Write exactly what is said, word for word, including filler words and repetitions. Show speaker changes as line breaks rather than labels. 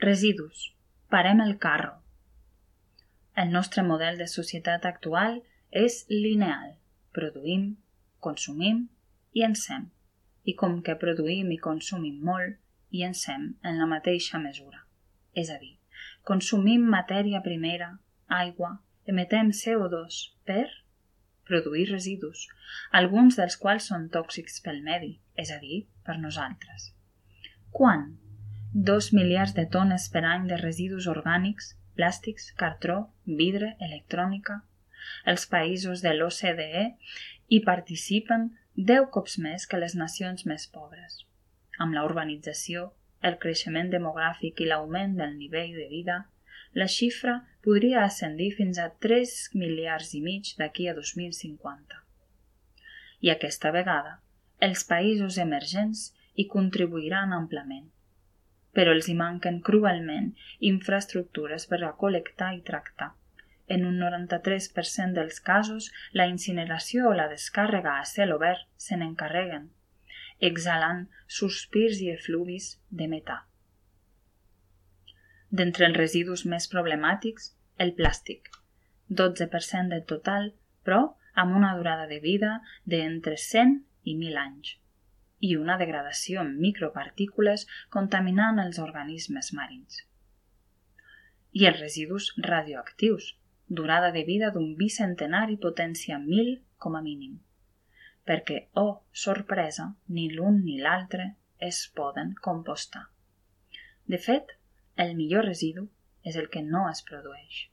Residus. Parem el carro. El nostre model de societat actual és lineal. Produïm, consumim i encem. I com que produïm i consumim molt, i encem en la mateixa mesura. És a dir, consumim matèria primera, aigua, emetem C O dos per produir residus, alguns dels quals són tòxics pel medi, és a dir, per nosaltres. Quant? Dos miliards de tones per any de residus orgànics, plàstics, cartró, vidre, electrònica. Els països de l'O C D E hi participen deu cops més que les nacions més pobres. Amb la urbanització, el creixement demogràfic i l'augment del nivell de vida, la xifra podria ascendir fins a tres miliards i mig d'aquí a dos mil cinquanta. I aquesta vegada, els països emergents hi contribuiran amplament, però els hi manquen cruelment infraestructures per a col·lectar i tractar. En un noranta-tres per cent dels casos, la incineració o la descàrrega a cel obert se n'encarreguen, exhalant sospirs i efluvis de metà. D'entre els residus més problemàtics, el plàstic, dotze per cent del total, però amb una durada de vida d'entre cent i mil anys, i una degradació en micropartícules contaminant els organismes marins. I els residus radioactius, durada de vida d'un bicentenar i potència mil com a mínim, perquè, oh, sorpresa, ni l'un ni l'altre es poden compostar. De fet, el millor residu és el que no es produeix.